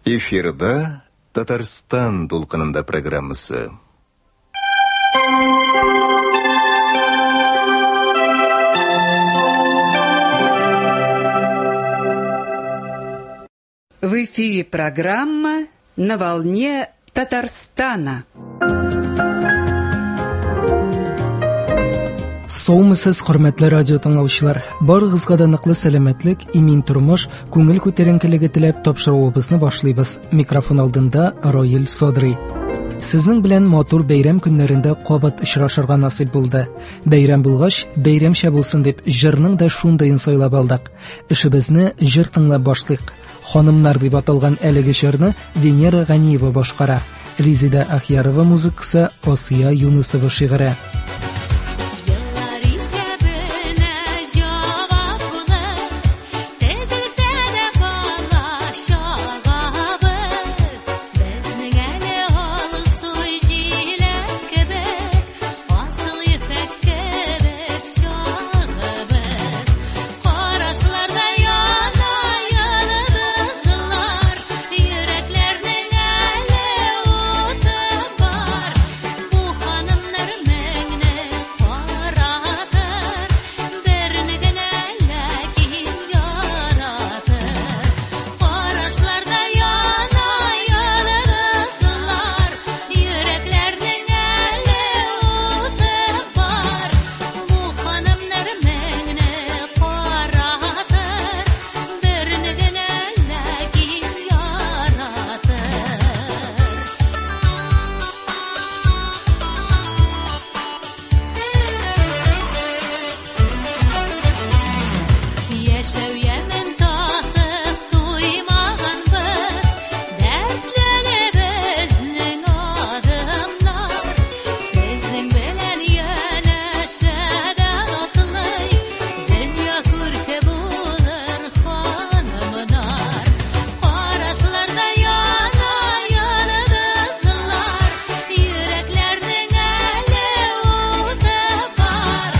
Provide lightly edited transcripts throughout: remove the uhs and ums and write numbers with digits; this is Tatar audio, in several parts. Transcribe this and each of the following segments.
Эфирда Татарстан дулкынында программасы. В эфире программа «На волне Татарстана». Саумысыз, хөрмәтле радио тыңлаучылар. Барыгызга да ныклы сәламәтлек, имин тормыш, күңел күтәренкелеге теләп тапшыруыбызны башлыйбыз. Микрофон алдында Роил Содрый. Сезнең белән матур бәйрәм көннәрендә кабат очрашырга насыйп булды. Бәйрәм булгач, бәйрәмчә булсын дип, җырның да шундыен сайлап алдык. Эшебезне җыр тыңлап башлыйк. Ханымнар дип аталган әлеге җырны Венера Ганиева башкара. Резеда Ахьярова музыкасы, Асия Юнысова шигыре. Еллар исәбенә җаваплы, Тезелсә дә бала чагабыз. Безнең әле алсу җиләк кебек, Асыл ефәк кебек чагыбыз. Карашларда яна йолдызлар, Йөрәкләрнең әле уты бар. Бу ханымнар меңне каратыр, Берне генә ләкин яратыр. Карашларда яна йолдызлар, Йөрәкләрнең әле уты бар. Бу ханымнар меңне каратыр, Берне генә ләкин яратыр. Яшәү ямен татып туймаганбыз, Дәртләнә безнең адымнар. Сезнең белән янәшәдә атлый, Дөнья күрке булыр ханымнар. Карашларда яна йолдызлар, Йөрәкләрнең әле уты бар.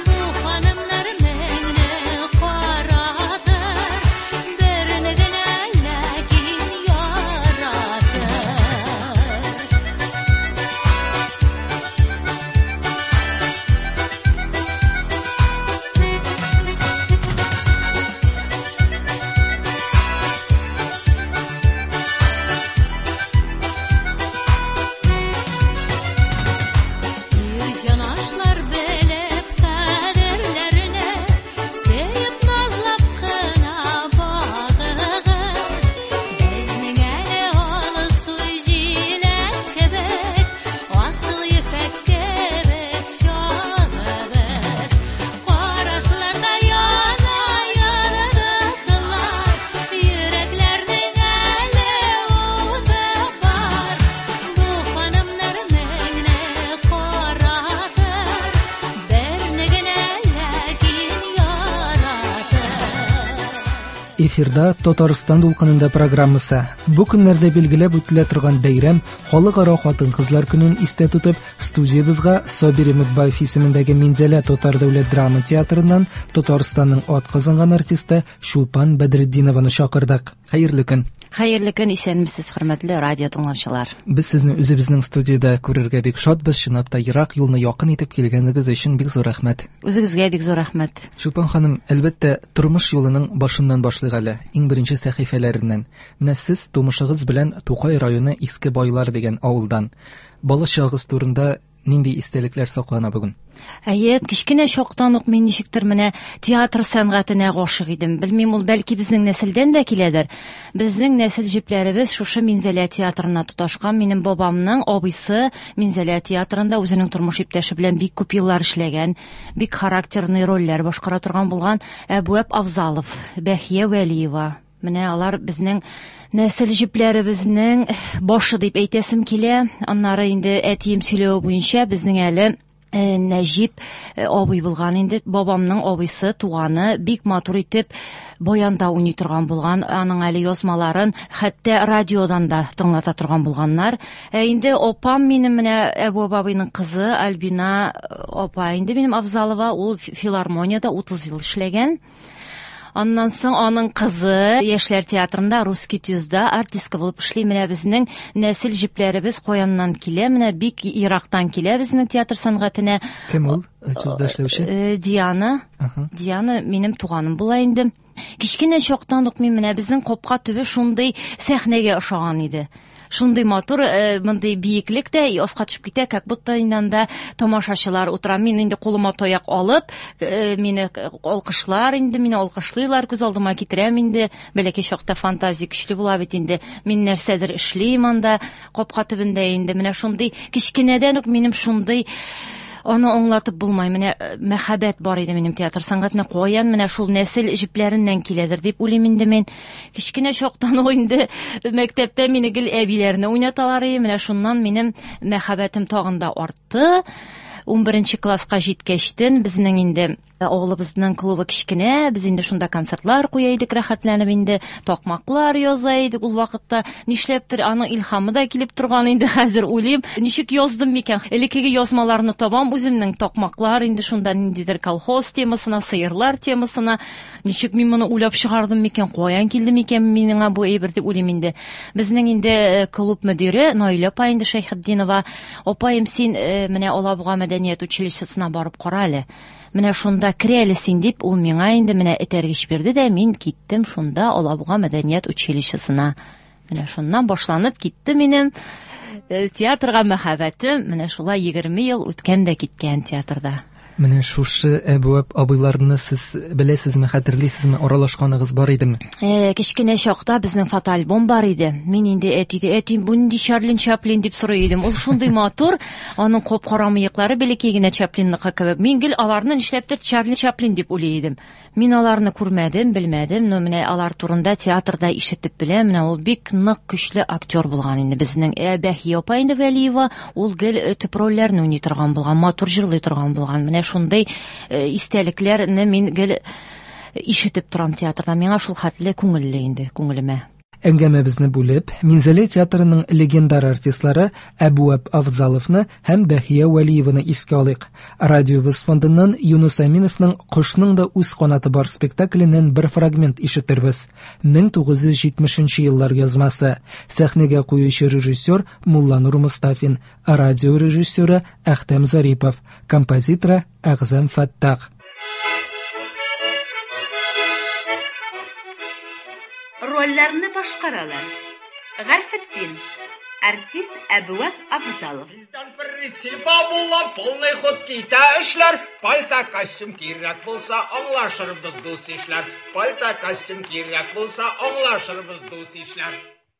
Бу ханымнар меңне каратыр, Берне генә ләкин яратыр. Ир җанашлар белеп кадерләрне, Сөеп назлап кына багыгыз. Безнең әле алсу җиләк кебек, Асыл ефәк кебек чагыбыз. Карашларда яна йолдызлар, Йөрәкләрнең әле уты бар. Бу ханымнар меңне каратыр, Берне генә ләкин яратыр. Эфирда Татарстан дулкынында программасы. Бу көннәрдә билгеләп үтелә торган бәйрәм Халыкара хатын-кызлар көнен истә тотып, студиябызга Сабир Өметбаев исемендәге Минзәлә татар дәүләт драма театрыннан Татарстанның атказанган артисты Чулпан Бәдретдинованы чакырдык. Хәерле көн. Хәерле көн, исәнмесез, хөрмәтле радио тыңлаучылар. Без сезне үзебезнең студиядә күрергә бик шатбыз. Чынлап та ерак юлны якын итеп килгәнегез өчен бик зур рәхмәт. Үзегезгә бик зур рәхмәт. Чулпан ханым, әлбәттә, тормыш юлының башыннан башлыйк әле, иң беренче сәхифәләреннән. Менә сез тумышыгыз белән Тукай районы Иске Байлар дигән авылдан. Бала чагыгыз турында нинди истәлекләр саклана бүген? Әйе, кечкенә чактан ук мин ничектер менә театр сәнгатенә гашык идем. Белмим, ул бәлки безнең нәселдән дә киләдер. Безнең нәсел җепләребез шушы Минзәлә театрына тоташкан. Минем бабамның абыйсы Минзәлә театрында үзенең тормыш иптәше белән бик күп еллар эшләгән, бик характерный рольләр башкара торган булган Әбүәп Авзалов, Бәхия Вәлиева. Менә алар безнең нәсел җепләребезнең башы дип әйтәсем килә. Аннары инде әтием сөйләве буенча безнең әле Нәҗип абый булган инде, бабамның абыйсы, туганы, бик матур итеп баянда уйный торган булган. Аның әле язмаларын хәтта радиодан да тыңлата торган булганнар. Ә инде апам минем, менә Әбү абыйның кызы Альбина апа инде минем Авзалова, ул филармониядә 30 ел эшләгән. Аннан соң аның кызы Яшьләр театрында Русский тюзда артистка булып эшли. Менә безнең нәсел җепләребез каяннан килә, менә бик ерактан килә безнең театр сәнгатенә. Кем ул? Тюзда эшләүче? Диана. Диана минем туганым була инде. Кечкенә чактан ук мин менә безнең капка төбе шундый сәхнәгә ошаган иде. Шундый матур, мондый биеклек тә аска төшеп китә, как будто инде анда тамашачылар утыра. Мин инде кулыма таяк алып, мине алкышлар инде, мине алкышлыйлар, күз алдыма китерәм инде. Бәләкәй чакта фантазия көчле була бит инде. Мин нәрсәдер эшлим анда, капка төбендә инде. Менә шундый кечкенәдән үк минем шундый, аны аңлатып булмай. Менә мәхәббәт бар иде минем театр сәнгатенә. Каян менә шул нәсел җепләреннән киләдер дип уйлыйм инде мин. Кечкенә чактан ук инде мәктәптә мине гел әбиләрне уйнаталар иде. Менә шуннан минем мәхәббәтем тагын да артты. 11 класска җиткәчтен безнең инде авылыбызның клубы кечкенә, без инде шунда концертлар куя идек, рәхәтләнеп инде такмаклар яза идек ул вакытта. Нишләптер аның илһамы да килеп торган инде, хәзер уйлыйм, ничек яздым микән? Элеккеге язмаларны табам үземнең, такмаклар инде шунда ниндидер колхоз темасына, сыерлар темасына. Ничек мин моны уйлап чыгардым микән? Каян килде микән миңа бу әйбер дип уйлыйм инде. Безнең инде клуб мөдире Наилә апа инде Шәйхетдинова, апаем, син менә Алабуга мәдәният училищесына барып кара әле. Менә шунда керә әле син дип, ул миңа инде менә этәргеч бирде дә, мин киттем шунда Алабуга мәдәният училищесына. Менә шуннан башланып китте минем театрга мәхәббәтем. Менә шулай 20 ел үткән дә киткән театрда. Менә шушы Әбүәп абыйларны сез беләсезме, хәтерлисезме, аралашканыгыз бар идеме? Кечкенә чакта безнең фотоальбом бар иде. Мин инде әтиде, әти, бу нинди Чарлин Чаплин дип сорый идем. Ул шундый матур, аның кап-кара мыеклары бәләкәй генә Чаплинныкы кебек. Мин гел аларны нишләптер Чарли Чаплин дип уйлый идем. Мин аларны күрмәдем, белмәдем, но менә алар турында театрда ишетеп беләм. Менә ул бик нык көчле актер булган инде безнең. Бәһия апа инде Вәлиева, ул гел төп рольләрне уйный торган булган, матур җырлый торган булган. Менә шундый истәлекләрне мин гел ишетеп торам театрда. Миңа шул хәтле күңелле инде, күңелемә. Әңгәмәбезне бүлеп, Минзәлә театрының легендар артистлары Әбүәп Авзаловны һәм Бәһия Вәлиеваны искә алыйк. Радиобыз фондыннан Юнус Әминовның Кошның да үз канаты бар спектакленнән бер фрагмент ишетербез. 1970 еллар язмасы. Сәхнәгә куючы режиссер Мулланур Мустафин, радио режиссеры Әхтәм Зарипов, композиторы Әгъзам Фәттах. Рольләрне башкаралар. Гарфетдин, артист Әбүәп Авзалов. Бездән прицепа була, полный ход китә эшләр. Пальто костюм кирәк булса, аңлашырбыз дус ишләр. Пальто костюм кирәк булса, аңлашырбыз дус ишләр.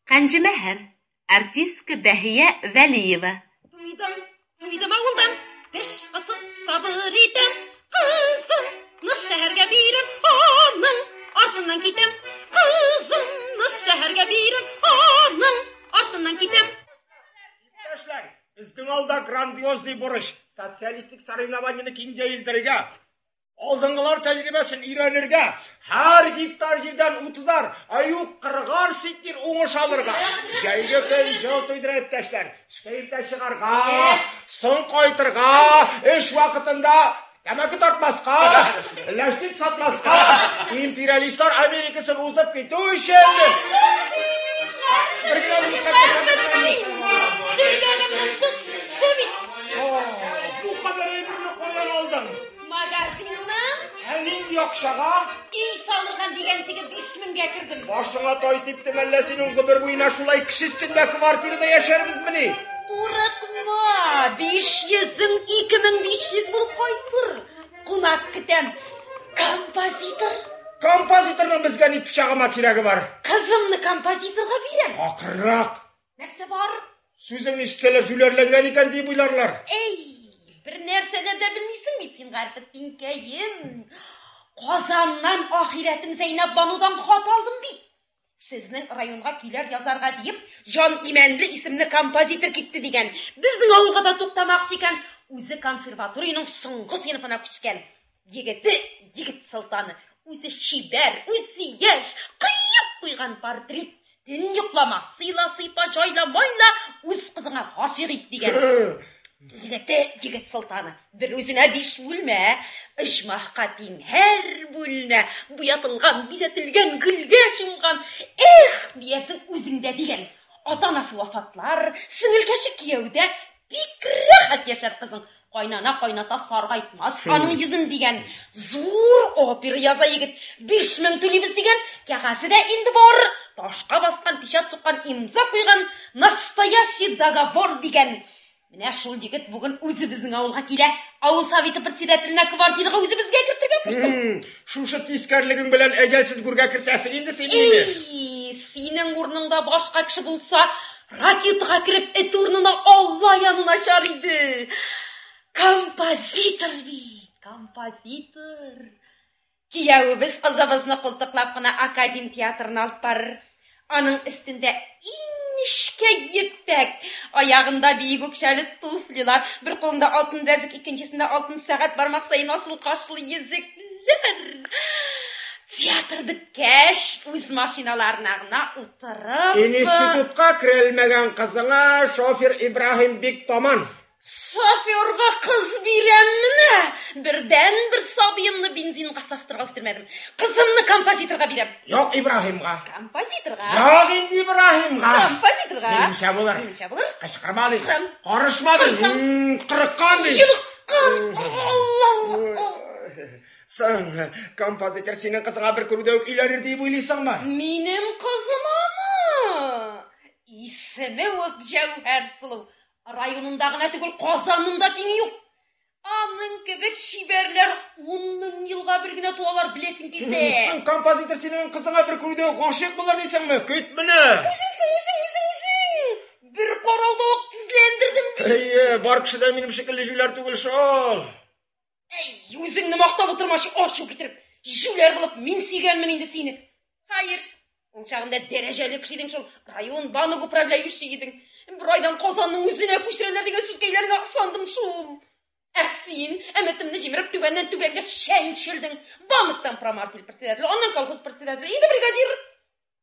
Кәнҗемәһәр, артистка Бәһия Вәлиева. Туйдым, туйдым авылдан, теш кысып сабыр итәм. Кызым, шәһәргә бирәм, аның артыннан китәм. Кызымны шәһәргә бирәм, аның артыннан китәм. Иптәшләр, безнең алда грандиозный бурыч, социалистик соревнованияне киң җәелдерергә, алдынгылар тәҗрибәсен өйрәнергә, һәр гектар җирдән 30-ар, ә юк 40-ар центнер уңыш алырга. Җәйге көн җыл туйдыра, иптәшләр. Эшкә иртә чыгарга, соң кайтырга, эш вакытында тәмәке тартмаска, ләшник сатмаска, империалистлар Америкасын узып китү өчен. Бер генә минутка. Дөргәнемнең тотышы бит. Бу кадәр әйберне каян алдың? Магазиннан. Ә нинди акчага? Өй салырган дигән теге 5000гә кердем. Башыңа тай типте мәллә синең, гомер буена шулай кеше өстендә квартирада яшәрбезмени? Курыкма, 500-ң 2500 булып кайтыр. Кунак көтәм. Композитор. Композиторның безгә ни пычагыма кирәге бар? Кызымны композиторга бирәм. Акрынрак. Нәрсә бар? Сүзең ишетсәләр җүләрләнгән икән дип уйларлар. Эй, бер нәрсәләр дә белмисең бит син, Гарфетдинкәем. Казаннан ахирәтем Зәйнәб Банудан хат алдым бит. Сезнең районга көйләр язарга диеп, Җан Имәнле исемле композитор китте дигән. Безнең авылга да туктамакчы икән. Үзе консерваториянең соңгы сыйныфына күчкән. Егете, егет солтаны. Үзе чибәр, үзе яшь, кыеп куйган портрет. Төн йоклама, сыйла, сыйпа, җайла, майла, үз кызыңа гашыйк ит дигән. Егете, егет солтаны. Бер үзенә биш бүлмә, оҗмахка тиң һәр бүлмә, буятылган, бизәтелгән, гөлгә чумган. Эх, диярсең үзеңдә дигән. Ата-анасы вафатлар, сеңелкәше кияүдә, бик рәхәт яшәр кызың. Кайнана кайната саргайтмас аның йөзен дигән. Зур опера яза егет. 5000 түлибез дигән. Кәгазе дә инде бар. Ташка баскан, печать суккан, имза куйган. Настоящий договор дигән. Менә шул егет бүген үзебезнең авылга килә. Авыл советы председателенә квартирага үзебезгә кертергә куштым. Шушы тискәрлегең белән әҗәлсез гүргә кертәсең инде син мине. Эй, синең урыныңда башка кеше булса, ракетага кереп эт урынына Алла янына чар иде. Композитор бит, композитор. Киявебез кызыбызны култыклап кына академ театрына алып барыр. Аның өстендә иң нечкә ефәк, аягында биек үкчәле туфлилар, бер кулында алтын беләзек, икенчесендә алтын сәгать, бармак саен асыл кашлы йөзекләр. Театр беткәч, үз машиналарына гына утырып... Институтка керелмәгән кызыңа шофер Ибраһим бик таман. Шоферга кыз бирәм менә. Бердән-бер сабыемны бензинга састырга үстермәдем. Кызымны композиторга бирәм. Юк Ибраһимга. Композиторга. Юк инде Ибраһимга. Композиторга. Минемчә булыр. Минемчә булыр. Кычкырма ди. Кычкырам. Карышма ди. Карышам. Кырыккан ди. Йолыккан. Алла. Соң, композитор синең кызыңа бер күрүдә үк өйләнер дип уйлыйсыңмы? Минем кызым аны. Исеме үк Җәүһәр Сылу. Районында гына түгел, Казанында тиңе юк. Аның кебек чибәрләр 10 мең елга бер генә туалар, беләсең килсә. Соң, композитор синең кызыңа бер күрүдә үк гашыйк булыр дисеңме? Көт менә. Үзең соң, үзең, үзең, үзең. Бер карауда ук тезләндердем бит. Әйе, бар кеше дә минем шикелле җүләр түгел шул. Әй, үзеңне мактап утырмачы, ачу китереп. Җүләр булып мин сөйгәнмен инде сине. Хәер, ул чагында дәрәҗәле кеше идең шул, район банк управляющий идең. Бер айдан Казанның үзенә күчерәләр дигән сүзкәйләреңә ышандым шул. Ә син өметемне җимереп түбәннән түбәнгә чәнчелдең. Банктан промартель председателе, аннан колхоз председателе, инде бригадир.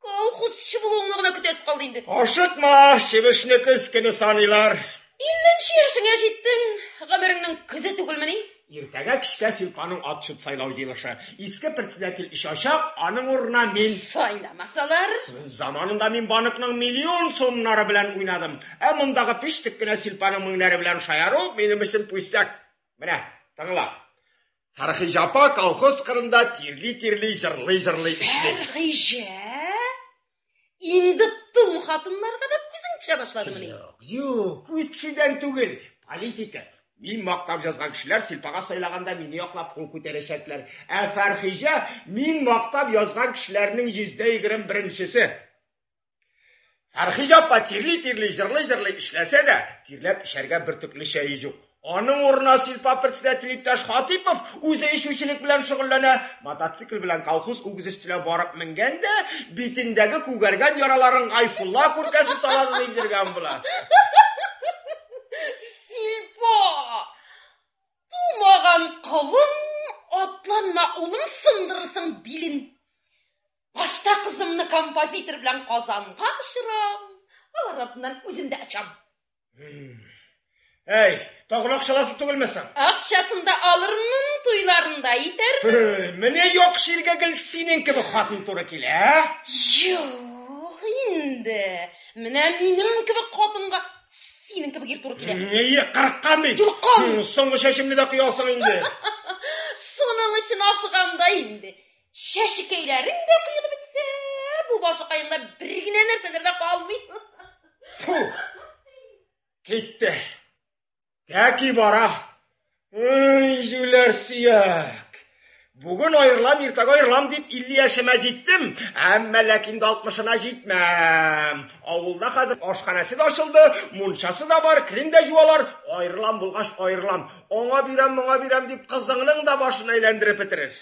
Колхозчы булуыңны гына көтәсе калды инде. Ашыкма, чебешне көз көне саныйлар. 50 яшеңә җиттең, гомереңнең көзе түгелмени? Иртәгә кичкә Силпаның отчет сайлау җыелышы. Иске председатель очачак, аның урынына мин. Сайламасалар? Заманында мин банкның миллион сумнары белән уйнадым. Ә мондагы пиштек кенә Силпаның меңнәре белән шаяру минем өчен пустяк. Менә, тыңла. Фәрхиҗә апа колхоз кырында тирли-тирли җырлый-җырлый эшли. Фәрхиҗә? Инде тол хатыннарга да күзең төшә башладымыни? Юк, юк, күз төшүдән түгел. Политика. Мин мактап язган кешеләр Силпага сайлаганда мине яклап кул күтәрәчәкләр. Ә Фәрхиҗә мин мактап язган кешеләрнең 21%-се. Фәрхиҗә апа тирли-тирли җырлый-җырлый эшләсә дә, тирләп эчәргә бөртекле чәе юк. Аның урынына Силпа председатель иптәш Хатипов үзе эчүчелек белән шөгыльләнә. Мотоцикл белән колхоз үгез өстенә барып менгән дә, битендәге күгәргән яраларын Гайфулла күркәсе талады дип йөргән була. Силпа! Тумаган колын, атланма улым, сындырырсың билен. Башта кызымны композитор белән Казанга очырам, алар артыннан үзем дә очам. Әй, тагын акчаласы түгелме соң? Акчасын да алырмын, туйларын да итәрмен. Менә яхшы иргә гел синең кебек хатын туры килә, ә? Юк инде. Менә минем кебек хатынга синең кебек ир туры килә. Әйе, кырыккан бит. Йолкан. Соңгы чәчемне дә коясың инде. Шуның өчен ашыгам да инде. Чәчкәйләрең дә коелып бетсә, бу башыкаеңда бер генә нәрсәләр дә калмый. Фу. Китте. Тәки бара. Ай, җүләр сөяк. Бүген аерылам, иртәгә аерылам дип 50 яшемә җиттем, әмма ләкин дә 60-ына җитмәм. Авылда хәзер ашханәсе дә ачылды, мунчасы да бар, керен дә юалар. Аерылам булгач аерылам. Аңа бирәм, моңа бирәм дип кызыңның да башын әйләндереп бетерер.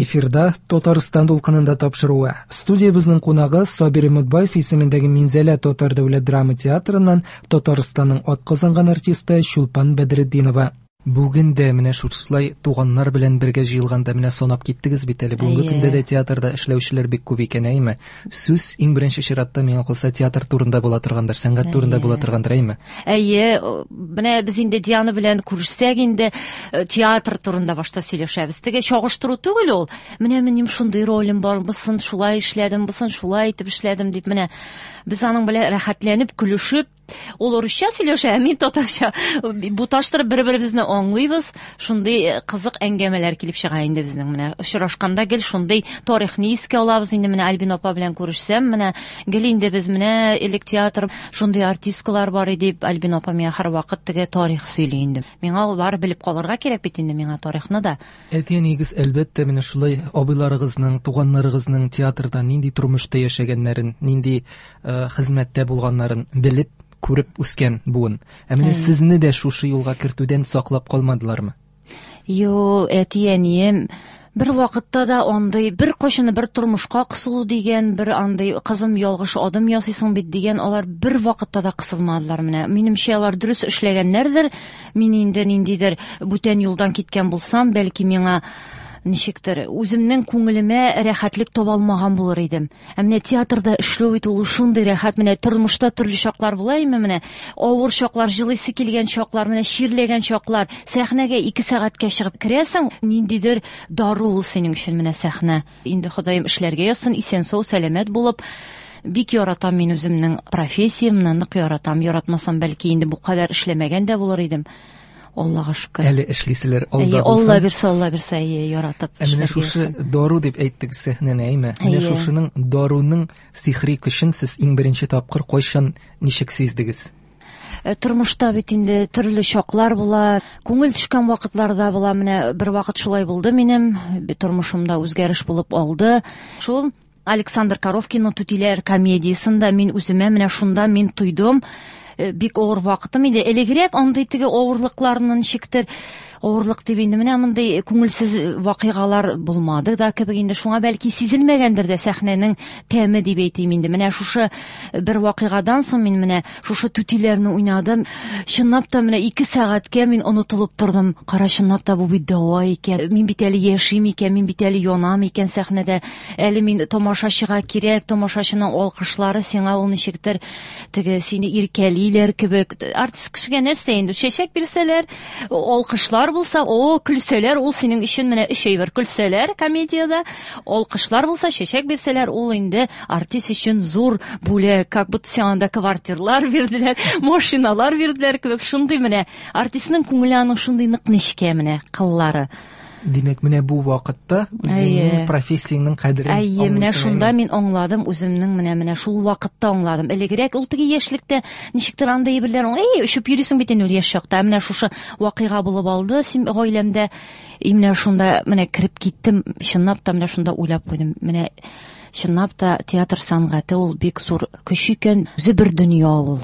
Эфирда Татарстан дулкынында тапшыруы. Студиябезнең кунагы Сабир Өметбаев исемендәге Минзәлә татар дәүләт драма театрыннан Татарстанның атказанган артисты Чулпан Бәдретдинова. Бүген дә менә шушылай туганнар белән бергә җыелганда менә санап киттегез бит әле. Бүгенге көндә дә театрда эшләүчеләр бик күп икән, әйме? Сүз иң беренче чиратта миңа калса театр турында була торгандыр, сәнгать турында була торгандыр, әйме? Әйе, менә без инде Диана белән күрешсәк инде театр турында башта сөйләшәбез. Теге чагыштыру түгел ул. Менә минем шундый ролем бар, бусын шулай эшләдем, бусын шулай итеп эшләдем дип менә без аның белән рәхәтләнеп, көлешеп, ул урысча сөйләшә, ә мин татарча буташтырып бер-беребезне аңлыйбыз. Шундый кызык әңгәмәләр килеп чыга инде безнең менә. Очрашканда гел шундый тарихны искә алабыз инде. Менә Альбина апа белән күрешсәм, менә гел инде без менә элек театр шундый артисткалар бар иде дип Альбина апа миңа һәрвакыт теге тарих сөйли инде. Миңа ул бар белеп калырга кирәк бит инде миңа тарихны да. Әти-әниегез, әлбәттә, менә шулай абыйларыгызның, туганнарыгызның театрда нинди тормышта яшәгәннәрен, нинди хезмәттә булганнарын белеп, күреп үскән буын. Ә менә сезне дә шушы юлга кертүдән саклап калмадылармы? Йо, әти-әнием бер вакытта да андый, бер кайчаны бер тормышка кысылу дигән, бер андый кызым ялгыш адым ясыйсың бит дигән, алар бер вакытта да кысылмадылар менә. Минемчә, алар дөрес эшләгәннәрдер. Мин инде ниндидер бүтән юлдан киткән булсам, бәлки миңа ничектер үземнең күңелемә рәхәтлек таба алмаган булыр идем. Ә менә театрда эшләү бит ул шундый рәхәт. Менә тормышта төрле чаклар була име, менә авыр чаклар, җылыйсы килгән чаклар, менә чирләгән чаклар. Сәхнәгә 2 сәгатькә чыгып керәсең, ниндидер дару ул синең өчен менә сәхнә. Инде Ходаем эшләргә язсын, исән-сау, сәламәт булып. Бик яратам мин үземнең профессиямне, нык яратам. Яратмасам, бәлки инде бу кадәр эшләмәгән дә булыр идем. Аллага шөкер. Әле эшлиселәр алда Әйе, булсын. Алла бирсә, Алла бирсә, әйе, яратып Ә менә эшләргә шушы язсын. дару дип әйттек сәхнәне, әйме? Менә Әйе. шушының даруның сихри көчен сез иң беренче тапкыр кайчан, ничек сиздегез? Тормышта бит инде төрле чаклар була, күңел төшкән вакытлар да була. Менә бер вакыт шулай булды минем, тормышымда үзгәреш булып алды. Шул Александр Коровкинның Түтиләр комедиясендә мин үземә менә шунда мин тойдым. Бик авыр вакытым иде. Элегрәк андый теге авырлыкларны ничектер, авырлык дип инде менә мондый күңелсез вакыйгалар булмады да кебек инде, шуңа бәлки сизелмәгәндер дә сәхнәнең тәме дип әйтим инде. Менә шушы бер вакыйгадан соң мин менә шушы түтиләрне уйнадым. Чынлап та менә 2 сәгатькә мин онытылып тордым. Кара, чынлап та бу бит дәва икән. Мин бит әле яшим икән, мин бит әле янам икән сәхнәдә. Әле мин тамашачыга кирәк, тамашачының алкышлары сиңа ул ничектер теге сине иркәлиләр кебек. Артист кешегә нәрсә инде? Чәчәк бирсәләр, алкышлар булса, о, көлсәләр, ул синең өчен менә өч әйбер. Көлсәләр комедиядә, алкышлар булса, чәчәк бирсәләр, ул инде артист өчен зур бүләк. Как будто сиңа анда квартирлар бирделәр, машиналар бирделәр кебек. Шундый менә артистның күңеле аның шундый нык нечкә менә кыллары. Димәк, менә бу вакытта үзеңнең Әйе. профессияңнең кадерен Әйе, менә аңлыйсың, шунда әйме? мин аңладым үземнең, менә шул вакытта аңладым. Элегрәк ул теге яшьлектә ничектер андый әйберләр, әй, очып йөрисең бит инде ул яшь чакта. Ә менә шушы вакыйга булып алды син гаиләмдә. И менә шунда менә кереп киттем, чынлап та менә шунда уйлап куйдым. Менә чынлап та театр сәнгате ул бик зур көч икән, үзе бер дөнья ул.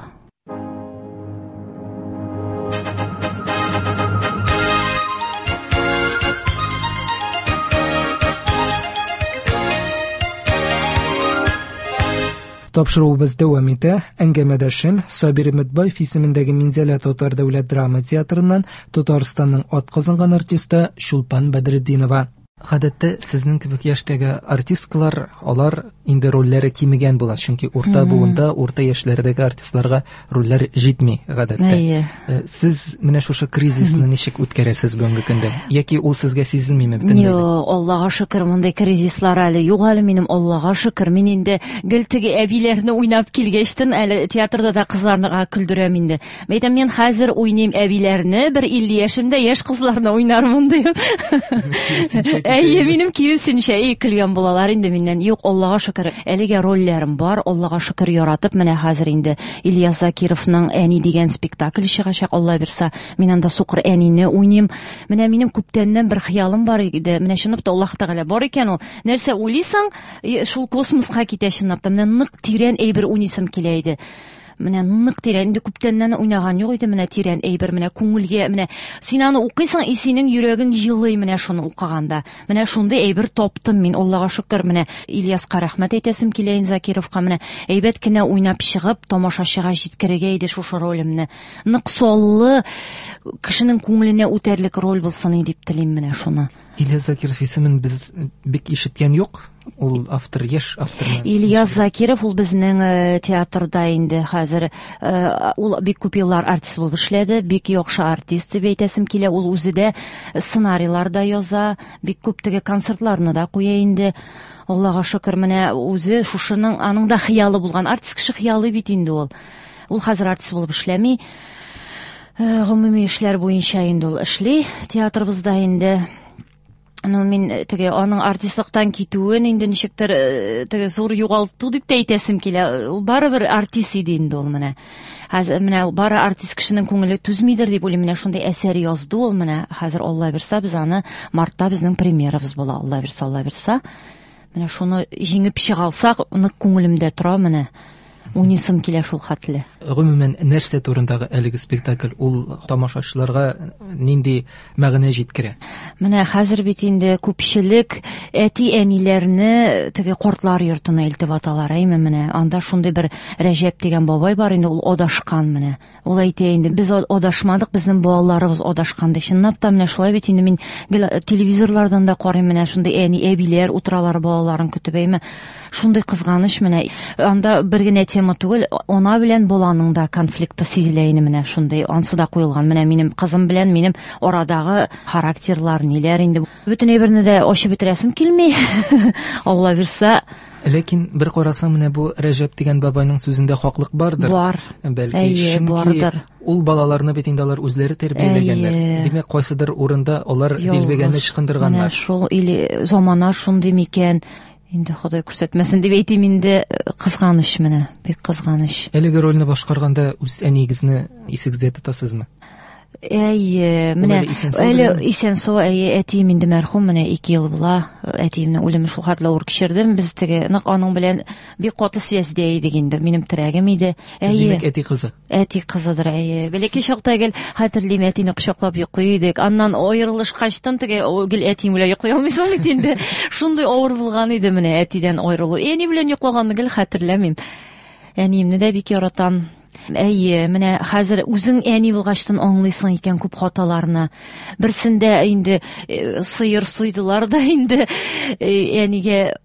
Тапшыруыбыз дәвам итә. Әңгәмәдәшем Сабир Өметбаев исемендәге Минзәлә татар дәүләт драма театрыннан Татарстанның атказанган артисты Чулпан Бәдретдинова. Гадәттә сезнең кебек яшьтәге артисткалар, алар инде рольләре кимегән була, чөнки урта буында, урта яшьләрдәге артистларга рольләр җитми гадәттә. Әйе. Сез менә шушы кризисны ничек үткәрәсез бүгенге көндә? Яки ул сезгә сизелмиме бөтенләй? Юк, Аллага шөкер, мондый кризислар әле юк әле минем, Аллага шөкер. Мин инде гел теге әбиләрне уйнап килгәчтен, әле театрда да кызларны көлдерәм инде. Мәйтәм, мин хәзер уйныйм әбиләрне, бер 50 яшемдә яшь кызларны уйнармын дип. Сезнең киресенчә китә Әйе, инде. минем киресенчә, әй, көлгән булалар инде миннән. Юк, Аллага шөкер, әлегә рольләрем бар, Аллага шөкер, яратып, менә хәзер инде Ильяс Закировның Әни дигән спектакль чыгачак, Алла бирса, мин анда сукыр әнине уйныйм. Менә минем күптәннән бер хыялым бар иде. Менә чынлап та Аллаһ Тәгалә бар икән ул. Нәрсә уйлыйсың, шул космоска китә чынлап та. Менә нык тирән әйбер уйныйсым килә иде. Менә нык тирән, инде күптәннән уйнаган юк иде, менә тирән әйбер, менә күңелгә, менә син аны укыйсың, и синең йөрәгең җылый менә шуны укыганда. Менә шундый әйбер таптым мин, Аллага шөкер, менә Ильяска рәхмәт әйтәсем килә инде Закировка, менә әйбәт кенә уйнап чыгып, тамашачыга җиткерергә иде шушы ролемне. Нык саллы, кешенең күңеленә үтәрлек роль булсын иде дип телим менә шуны. Ильяс Закиров исемен без бик ишеткән юк. Ул автор, яшь автор. Ильяс Закиров ул безнең театрда инде хәзер ул бик күп еллар артист булып эшләде, бик яхшы артист дип әйтәсем килә. Ул үзе дә сценарийлар да яза, бик күп теге концертларны да куя инде. Аллага шөкер, менә үзе шушының аның да хыялы булган. Артист кеше хыялы бит инде ул. Ул хәзер артист булып эшләми. Гомуми эшләр буенча инде ул эшли театрыбызда инде. Ну, мин теге аның артистлыктан китүен инде ничектер теге зур югалту дип тә әйтәсем килә. Ул барыбер артист иде инде ул менә. Хәзер менә бары артист кешенең күңеле түзмидер дип уйлыйм. Менә шундый әсәр язды ул менә. Хәзер Алла бирсә без аны мартта безнең премьерабыз була. Алла бирсә, Алла бирсә. Менә шуны җиңеп чыга алсак, нык күңелемдә тора менә. Уйныйсым килә шул хәтле. Гомумән, нәрсә турындагы әлеге спектакль? Ул тамашачыларга нинди мәгънә җиткерә? Менә хәзер бит инде күпчелек әти-әниләрне теге картлар йортына илтеп аталар, әйме менә. Анда шундый бер Рәҗәп дигән бабай бар инде, ул адашкан менә. Ул әйтә инде, без адашмадык, безнең балаларыбыз адашкан ди. Чынлап та менә шулай бит инде, мин гел телевизорлардан да карыйм, менә шундый әни, әбиләр утыралар балаларын көтеп, әйме. Шундый кызганыч менә. Анда бер генә тема түгел, ана белән баланың да конфликты сизелә инде менә шундый, ансы да куелган. Менә минем кызым белән минем арадагы характерлар ниләр инде. Бөтен әйберне дә ачып бетерәсем килми. Алла бирсә. Ләкин бер карасаң, менә бу Рәҗәп дигән бабайның сүзендә хаклык бардыр. Бар. Бәлки, Әйе, чөнки бардыр. ул балаларны бит инде алар үзләре тәрбияләгәннәр. Әйе. Димәк, кайсыдыр урында алар Ялгыш. дилбегәне ычкындырганнар. Менә шул или замана шундый микән? Инде Ходай күрсәтмәсен дип әйтим инде, кызганыч менә, бик кызганыч. Әлеге рольне башкарганда үз әниегезне исегездә тотасызмы? Әйе, Ул менә әле исән-сау әле беләме? исән-сау, әйе, әтием инде мәрхүм, менә 2 ел була. Әтиемнең үлеме шул хәтле авыр кичердем. Без теге нык аның белән бик каты связьдә идек инде. Минем терәгем иде. Сез Әйе. димәк әти кызы. Әти кызыдыр, әйе. Бәләкәй чакта гел хәтерлим, әтине кочаклап йоклый идек. Аннан аерылышкачтан теге гел әтием белән йоклый алмыйсың бит инде. Шундый авыр булган иде менә әтидән аерылу. Әни белән йоклаганны гел хәтерләмим. Әниемне дә бик яратам. Әйе, менә хәзер үзең әни булгачтан аңлыйсың икән күп хаталарны. Берсендә инде сыер суйдылар да инде, әнигә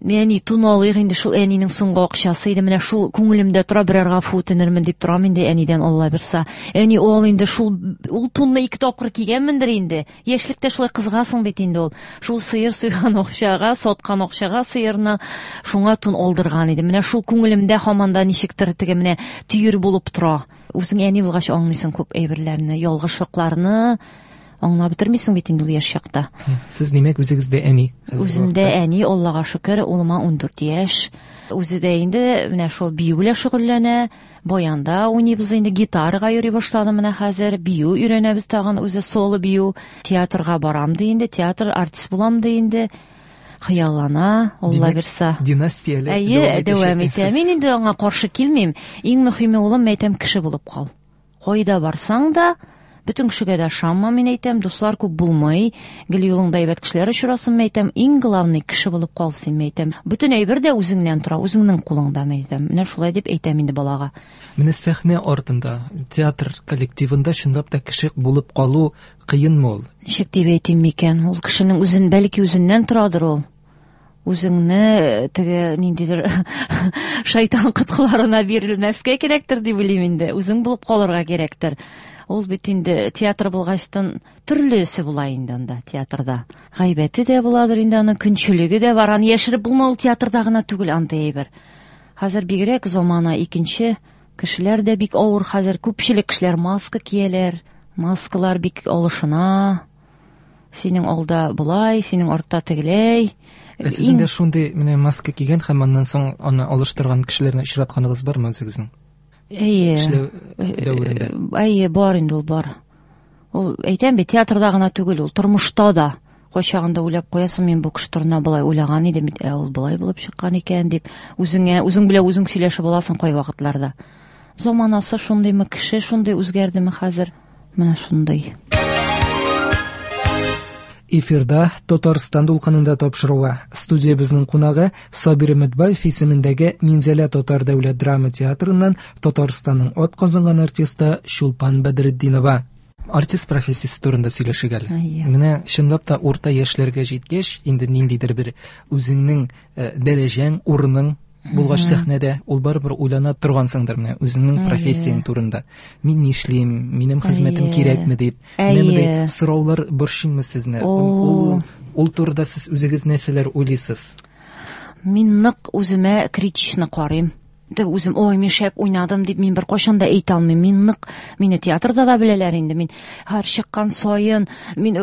әни тун алыйк инде, шул әнинең соңгы акчасы иде. Менә шул күңелемдә тора, берәр гафу үтенермен дип торам инде әнидән, Алла бирса. Әни ул инде шул ул тунны 2 тапкыр кигәнмендер инде. Яшьлектә шулай кызгасың бит инде ул. Шул сыер суйган акчага, саткан акчага сыерны шуңа тун алдырган иде. Менә шул күңелемдә һаман да ничектер теге менә төер булып тора. Үзең әни булгач аңлыйсың күп әйберләрне, ялгышлыкларны аңлап бетермисең бит инде ул яшь чакта. Сез димәк үзегез дә әни? Хәзерге Үземдә вакытта. әни, Аллага шөкер, улыма 14 яшь. Үзе дә инде менә шул бию белән шөгыльләнә, баянда уйныйбыз инде, гитарага йөри башлады менә хәзер, бию өйрәнәбез тагын, үзе соло бию. Театрга барам ди инде, театр артист булам ди инде. Хыяллана, Алла Димәк, бирсә. Династия әле Әйе, дәвам дәвам итәчәк итә. сез. Мин инде аңа каршы килмим. Иң мөһиме, улым, әйтәм, кеше булып кал. Кайда барсаң да, бөтен кешегә дә ышанма, мин әйтәм, дуслар күп булмый, гел юлыңда әйбәт кешеләр очрасын, мин әйтәм, иң главный кеше булып кал син, мин әйтәм. Бөтен әйбер дә үзеңнән тора, үзеңнең кулыңда, мин әйтәм. Менә шулай дип әйтәм инде балага. Менә сәхнә артында, театр коллективында чынлап та кеше булып калу кыенмы ул? Ничек дип әйтим микән? Ул кешенең үзен, бәлки үзеннән торадыр ул. Үзеңне теге ниндидер шайтан коткыларына бирелмәскә кирәктер дип уйлыйм инде. Үзең булып калырга кирәктер. Ул бит инде театр булгачтан төрлесе була инде анда театрда. Гайбәте дә буладыр инде, аның көнчелеге дә бар. Аны яшереп булмый, ул театрда гына түгел андый әйбер. Хәзер бигрәк замана икенче, кешеләр дә бик авыр хәзер. Күпчелек кешеләр маска кияләр. Маскалар бик алышына. Синең алда болай, синең артта тегеләй. Ә сезнең дә шундый менә маска кигән һәм аннан соң аны алыштырган кешеләрне очратканыгыз бармы үзегезнең? Әйе. Эшләү дәверендә. Әйе, бар инде ул, бар. Ул әйтәм бит, театрда гына түгел, ул тормышта да. Кайчагында уйлап куясың, мин бу кеше турында болай уйлаган идем бит, ә ул болай булып чыккан икән дип, үзеңә, үзең белән үзең сөйләшеп аласың кайвакытларда. Заманасы шундыймы, кеше шундый үзгәрдеме хәзер? Менә шундый. Эфирда Татарстан дулкынында тапшыруы. Студиябезнең кунагы Сабир Өметбаев исемендәге Минзәлә татар дәүләт драма театрыннан Татарстанның атказанган артисты Чулпан Бәдретдинова. Артист профессиясе турында сөйләшик әле. Менә чынлап та урта яшьләргә җиткәч, инде ниндидер бер үзеңнең дәрәҗәң, урының булгач сәхнәдә, ул барыбер уйлана торгансыңдыр менә үзеңнең профессияң турында. Мин нишлим, минем хезмәтем кирәкме дип. Менә мондый сораулар борчыймы сезне? Ул турыда сез үзегез нәрсәләр уйлыйсыз? Мин нык үземә критично карыйм. Теге үзем, ой, мин шәп уйнадым дип мин беркайчан да әйтә алмыйм. Мин нык, мине театрда да беләләр инде. Мин һәр чыккан саен, мин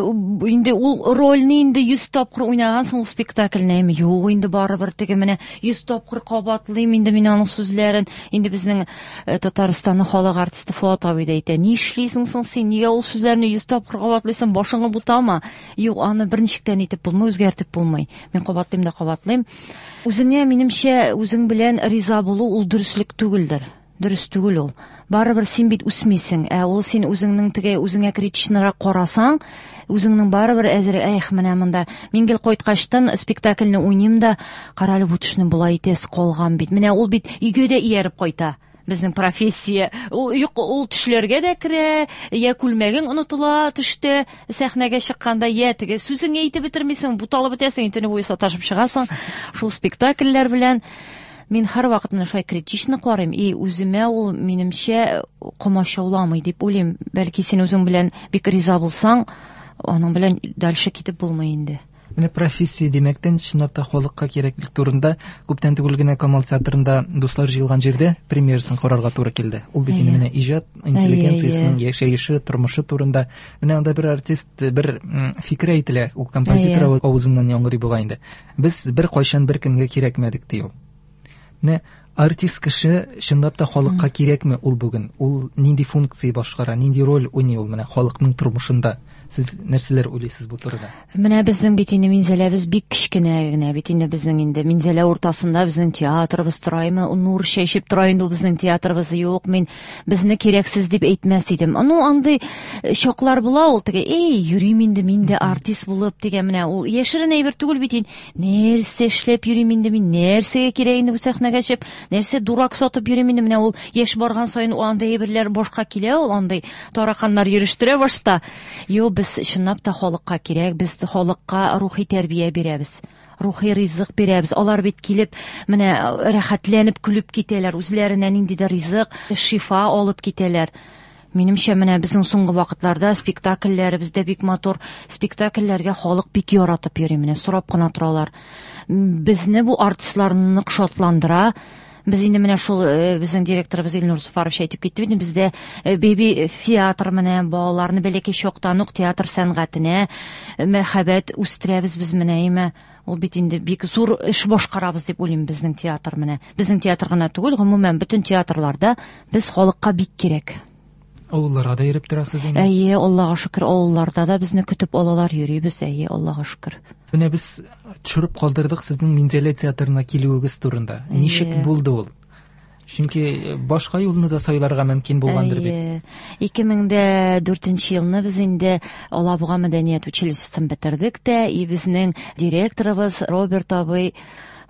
инде ул рольне инде 100 тапкыр уйнагансың ул спектакльне, әйме, юк инде барыбер теге менә 100 тапкыр кабатлыйм инде мин аның сүзләрен. Инде безнең Татарстанның халык артисты Фоат абый да әйтә, нишлисең соң син, нигә ул сүзләрне 100 тапкыр кабатлыйсың, башыңны бутама. Юк, аны берничек тә нитеп булмый, үзгәртеп булмый. Мин кабатлыйм да кабатлыйм. Үзеңә, минемчә, үзең белән риза булу ул дөреслек түгелдер. Дөрес түгел ул. Барыбер син бит үсмисең. Ә ул син үзеңнең теге үзеңә критичнырак карасаң, үзеңнең барыбер әзер, эх, менә монда мин гел кайткачтан спектакльне уйныйм да, карале, бу төшне болай итәсе калган бит. Менә ул бит өйгә дә ияреп кайта. Безнең профессия. Ул юк, ул төшләргә дә керә, я күлмәгең онытыла төштә, сәхнәгә чыкканда, я теге сүзеңне әйтеп бетермисең, буталып бетәсең, төне буе саташып чыгасың шул спектакльләр белән. Мин һәрвакыт менә шулай критично карыйм, и үземә ул минемчә комачауламый дип уйлыйм. Бәлки син үзең белән бик риза булсаң, аның белән дальше китеп булмый инде. Менә профессия димәктән, чынлап та халыкка кирәклек турында күптән түгел генә Камал театрында дуслар җыелган җирдә премьерасын карарга туры килде. Ул бит инде менә иҗат интеллигенциясенең яшәеше, тормышы турында. Менә анда бер артист бер фикер әйтелә, ул композитор авызыннан яңгырый бугай инде. Без бер кайчан бер кемгә кирәкмәдек ди ул. Менә артист кеше чынлап та халыкка кирәкме ул бүген? Ул нинди функция башкара, нинди роль уйный ул менә халыкның тормышында? Сез нәрсәләр уйлыйсыз бу турыда? Менә безнең бит инде Минзәләбез бик кечкенә генә бит инде безнең инде Минзәлә уртасында безнең театрыбыз тора, әйме, нур чәчеп тора инде ул безнең театрыбыз. Юк, мин безне кирәксез дип әйтмәс идем. Ну, андый чаклар була ул теге, эй, йөрим инде мин дә артист булып дигән, менә ул яшерен әйбер түгел бит инде. Нәрсә эшләп йөрим инде мин, нәрсәгә кирәк инде бу сәхнәгә чыгып, нәрсә дурак сатып йөрим инде, менә ул яшь барган саен ул андый әйберләр башка килә, ул андый тараканнар йөрештерә башта. Юк, без чынлап та халыкка кирәк, без халыкка рухи тәрбия бирәбез, рухи ризык бирәбез. Алар бит килеп, менә рәхәтләнеп көлеп китәләр, үзләренә ниндидер ризык, шифа алып китәләр. Минемчә, менә безнең соңгы вакытларда спектакльләребез дә бик матур, спектакльләргә халык бик яратып йөри, менә сорап кына торалар. Безне бу артистлар нык шатландыра. Без инде менә шул безнең директорыбыз Илнур Зуфарович әйтеп китте бит, бездә беби театр менә балаларны бәләкәй чактан ук театр сәнгатенә мәхәббәт үстерәбез без менә, әйме. Ул бит инде бик зур эш башкарабыз дип уйлыйм безнең театр менә. Безнең театр гына түгел, гомумән бөтен театрларда без халыкка бик кирәк. Авылларга да йөреп торасыз инде? Әйе, Аллага шөкер, авылларда да безне көтеп алалар, йөрибез, әйе, Аллага шөкер. Менә без төшереп калдырдык сезнең Минзәлә театрына килүегез турында. Ничек булды ул? Чөнки башка юлны да сайларга мөмкин булгандыр бит. 2004 елны без инде Алабуга мәдәният училищесын бетердек тә, и безнең директорыбыз Роберт абый,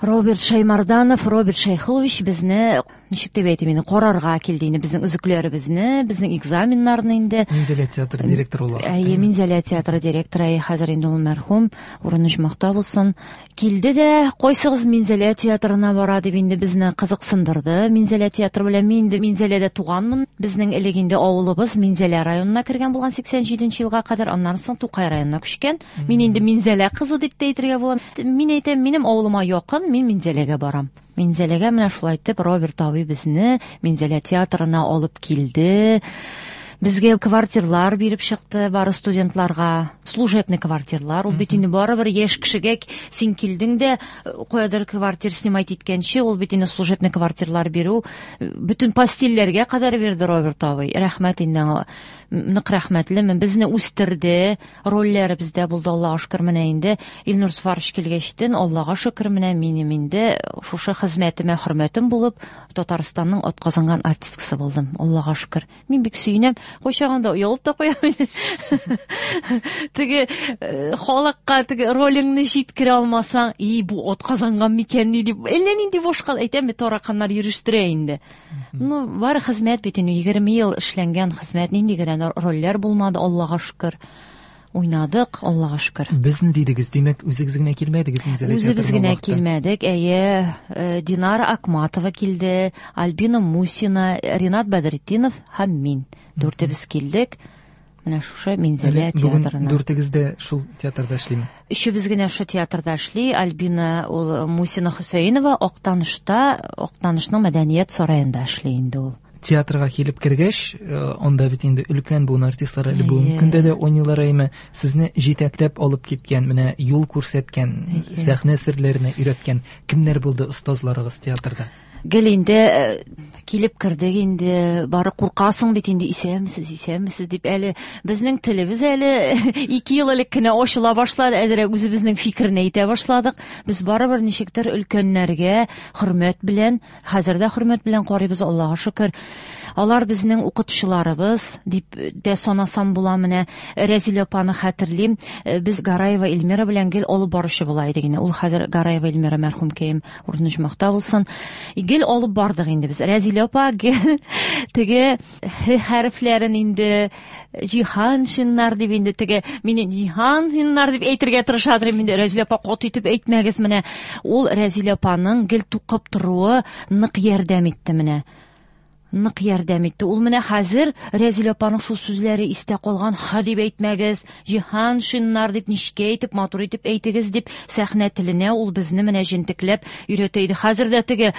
Роберт Шаймарданов, Роберт Шәйхулович безне, ничек дип әйтим инде, карарга килде инде, безнең өзекләребезне, безнең экзаменнарны инде. Минзәлә театры директоры ул вакытта. Әйе, Минзәлә театры директоры, әйе, хәзер инде ул мәрхүм, урыны оҗмахта булсын. Килде дә, кайсыгыз Минзәлә театрына бара дип инде безне кызыксындырды. Минзәлә театры белән мин инде Минзәләдә туганмын. Безнең элек инде авылыбыз Минзәлә районына кергән булган 87 елга кадәр, аннан соң Тукай районына күчкән. Мин инде Минзәлә кызы дип тә әйтергә була. Мин әйтәм, минем авылыма якын, мин Минзәләгә барам. Минзәләгә менә шулай итеп Роберт абый безне Минзәлә театрына алып килде. Безгә квартирлар биреп чыкты бары студентларга, служебный квартирлар. Ул бит инде барыбер яшь кешегә син килдең дә каядыр квартир снимать иткәнче, ул бит инде служебный квартирлар бирү, бөтен постельләргә кадәр бирде Роберт абый. Рәхмәт инде аңа. Нык рәхмәтлемен. Безне үстерде, рольләребез дә булды, Аллага шөкер, менә инде Илнур Сафарович килгәчтен, Аллага шөкер, менә минем инде шушы хезмәтемә хөрмәтем булып, Татарстанның атказанган артисткасы булдым. Аллага шөкер. Мин бик сөенәм. Кайчагында оялып та куям инде. Теге халыкка теге ролеңне җиткерә алмасаң, и бу атказанган микән ни дип, әллә нинди башка әйтәм бит, тараканнар йөрештерә инде. Ну, бары хезмәт бит инде, 20 ел эшләнгән хезмәт, нинди генә рольләр булмады, Аллага шөкер. Уйнадык, Аллага шөкер. Безне дидегез, димәк, үзегез генә килмәдегез Минзәлә Үзебез театрына генә ул вакытта? килмәдек, әйе, Динара Акматова килде, Альбина Мусина, Ринат Бәдретдинов һәм мин. Дүртебез килдек. Менә шушы Минзәлә Әле бүген театрына. Дүртегез дә шул театрда эшлиме? Өчебез генә шул театрда эшли. Альбина ул Мусина Хөсәенова Актанышта, Актанышның мәдәният сараенда эшли инде ул. Театрга килеп кергәч, анда бит инде өлкән буын артистлары әле бүгенге көндә дә уйныйлар әйме, сезне җитәкләп алып киткән, менә юл күрсәткән, сәхнә серләренә өйрәткән кемнәр булды остазларыгыз театрда? Гел инде килеп кердек инде, бары куркасың бит инде, исәнмесез, исәнмесез дип, әле безнең телебез әле 2 ел элек кенә ачыла башлады, әзрәк үзебезнең фикерне әйтә башладык. Без барыбер ничектер өлкәннәргә хөрмәт белән, хәзер дә хөрмәт белән карыйбыз, Аллага шөкер. Алар безнең укытучыларыбыз дип дә санасам була. Менә Рәзилә апаны хәтерлим. Без Гараева Эльмира белән гел алып баручы була идек инде. Ул хәзер Гараева Эльмира мәрхүмкәем, урыны оҗмахта булсын. Гел алып бардык инде без. Рәзилә апа гел теге һ хәрефләрен инде Җиһаншиннар дип инде теге мине Җиһаншиннар дип әйтергә тырышадыр инде. Рәзилә апа каты итеп әйтмәгез менә. Ул Рәзилә апаның гел тукып торуы нык ярдәм итте менә. Нык ярдәм итте. Ул менә хәзер Рәзилә апаның шул сүзләре истә калган, ха дип әйтмәгез, Җиһаншиннар дип ничкә әйтеп, матур итеп әйтегез дип сәхнә теленә ул безне менә җентекләп өйрәтә иде. Хәзер дә теге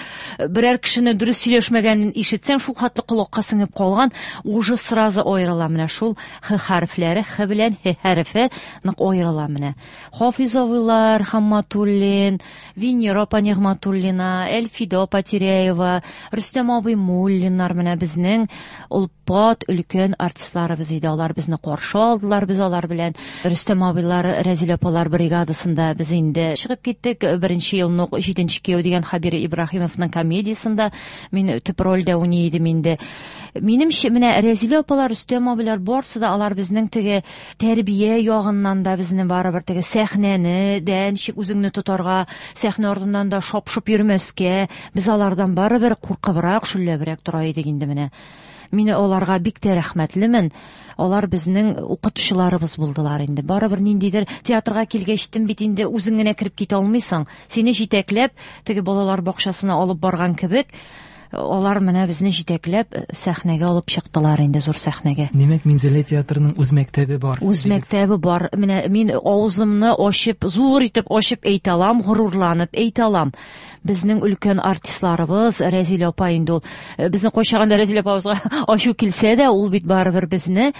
берәр кешене дөрес сөйләшмәгәнен ишетсәң, шул хәтле колакка сеңеп калган, уже сразу аерыла менә шул х хәрефләре, х белән һ хәрефе нык аерыла менә. Хафиз абыйлар, Хамматуллин, Венера апа Нигъматуллина, Әлфидә апа Теряева, Рөстәм абый Муллиннар менә безнең олпат өлкән артистларыбыз иде. Алар безне каршы алдылар, без алар белән Рөстәм абыйлар, Рәзилә апалар бригадасында без инде чыгып киттек. Беренче елны ук Җиденче кияү дигән Хәбир Ибраһимовның комедиясендә мин төп рольдә уйный идем инде. Минемчә, менә Рәзилә апалар, Рөстәм абыйлар барсы да алар безнең теге тәрбия ягыннан да безне барыбер теге сәхнәне дә ничек үзеңне тотарга, сәхнә артыннан да шап-шоп йөрмәскә, без алардан барыбер куркыбрак, шөлләбрәк тора идек инде менә. Мин аларга бик тә рәхмәтлемен. Алар безнең укытучыларыбыз булдылар инде. Барыбер ниндидер театрга килгәчтен бит инде үзең генә кереп китә алмыйсың. Сине җитәкләп, теге балалар бакчасына алып барган кебек, алар менә безне җитәкләп сәхнәгә алып чыктылар инде, зур сәхнәгә. Димәк, Минзәлә театрының үз мәктәбе бар. Үз мәктәбе бар. Менә мин авызымны ачып, зур итеп ачып әйтә алам, горурланып әйтә алам. Безнең өлкән артистларыбыз, Рәзилә апа инде ул, безнең кайчагында Рәзилә апабызга ачу килсә дә, ул бит барыбер безне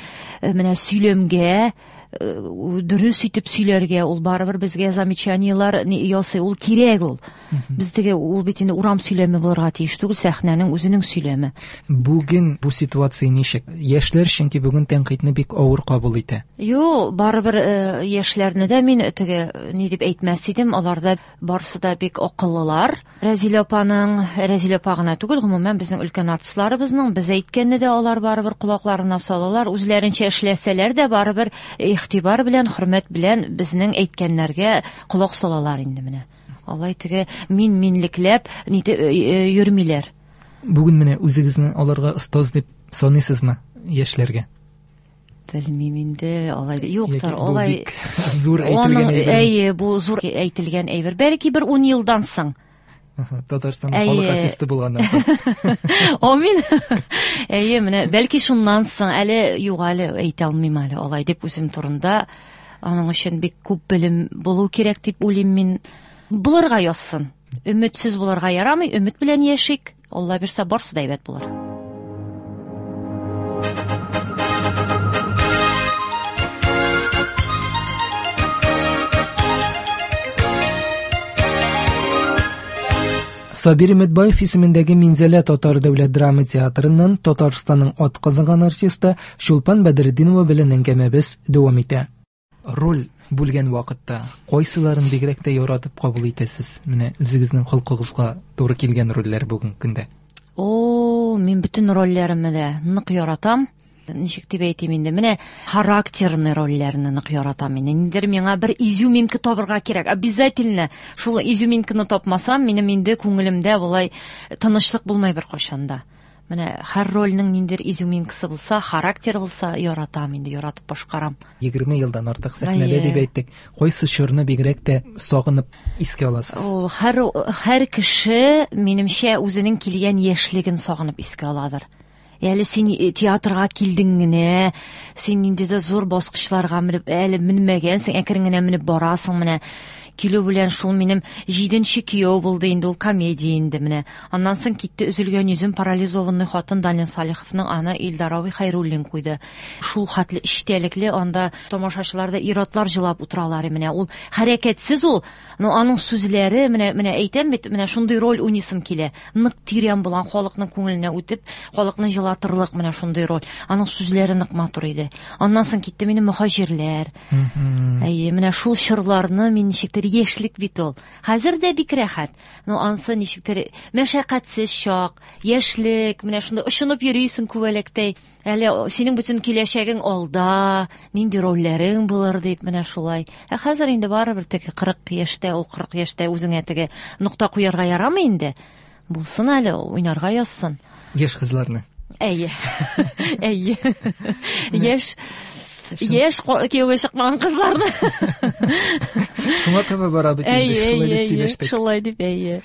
менә сөйләмгә, дөрес итеп сөйләргә, ул барыбер безгә замечаниелар ясый, ул кирәк ул. Без теге, ул бит инде урам сөйләме булырга тиеш түгел, сәхнәнең үзенең сөйләме. Бүген бу ситуация ничек? Яшьләр чөнки бүген тәнкыйтьне бик авыр кабул итә. Юк, барыбер яшьләрне дә мин теге ни дип әйтмәс идем, алар да барсы да бик акыллылар. Рәзилә апаның, Рәзилә апа гына түгел, гомумән безнең өлкән артистларыбызның, без әйткәнне дә алар барыбер колакларына салалар, үзләренчә эшләсәләр дә барыбер игътибар белән, хөрмәт белән безнең әйткәннәргә колак салалар инде менә. Алай теге мин-минлекләп нитеп йөрмиләр. Бүген менә үзегезне аларга остаз дип саныйсызмы яшьләргә? Белмим инде, алай да. Юктыр, Яки бу алай бик зур әйтелгән Аның, әйбер. әйе, бу зур әйтелгән әйбер. Бәлки бер 10 елдан соң. Аһа, Татарстанның халык Әйе. артисты булганнан соң. Амин. Әйе, менә бәлки шуннан соң әле юк, әле әйтә алмыйм әле алай дип үзем турында. Аның өчен бик күп белем булу кирәк дип уйлыйм мин. Булырга язсын. Өметсез булырга ярамый, өмет белән яшик. Алла бирсә, барсы да әйбәт булыр. Сабир Өметбаев исемендәге Минзәлә татар дәүләт драма театрыннан Татарстанның атказанган артисты Чулпан Бәдретдинова белән әңгәмәбез дәвам итә. Роль бүлгән вакытта кайсыларын бигрәк тә яратып кабул итәсез? Менә үзегезнең холкыгызга туры килгән рольләр бүгенге көндә. О, мин бөтен рольләремне дә нык яратам. Ничек дип әйтим инде? Менә характерный рольләрне нык яратам инде. Ниндидер миңа бер изюминка табырга кирәк. Обязательно шул изюминканы тапмасам, минем инде күңелемдә болай тынычлык булмай беркайчан да. Менә һәр рольнең ниндидер изюминкасы булса, характер булса, яратам инде, яратып башкарам. 20 елдан артык сәхнәдә дип әйттек. Кайсы чорны бигрәк тә сагынып искә аласыз? Ул һәр кеше, минемчә, үзенең килгән яшьлеген сагынып искә аладыр. Әле син театрга килдең генә, син ниндидер зур баскычларга менеп, әле менмәгәнсең, әкрен генә менеп барасың менә. Килү белән шул минем 7-нче кияү булды инде, ул комедия инде менә. Аннан соң китте Өзелгән йөзем, парализованный хатын Данил Салиховның, аны Илдар абый Хәйруллин куйды. Шул хәтле эчтәлекле, анда тамашачылар да ир-атлар җылап утыралар менә. Ул хәрәкәтсез ул, но аның сүзләре, менә әйтәм бит, менә шундый роль уйныйсым килә. Нык тирән булган, халыкның күңеленә үтеп, халыкны җылатырлык менә шундый роль. Аның сүзләре нык матур иде. Аннан соң китте минем Мөһаҗирләр. Әйе, менә шул чорларны мин ничектер яшьлек бит ул. Хәзер дә бик рәхәт. Но ансы ничектер мәшәкатьсез чак, яшьлек, менә шунда очынып йөрисең күбәләктәй. Әле синең бөтен киләчәгең алда, нинди рольләрең булыр дип, менә шулай. Ә хәзер инде барыбер теге 40 яшьтә, ул 40 яшьтә үзеңә теге нокта куярга ярамый инде. Булсын әле, уйнарга язсын. Яшь кызларны. Әйе. Әйе. Яшь кияүгә чыкмаган кызларны. Шуңа таба бара бит инде, шулай дип сөйләштек. Шулай дип, әйе.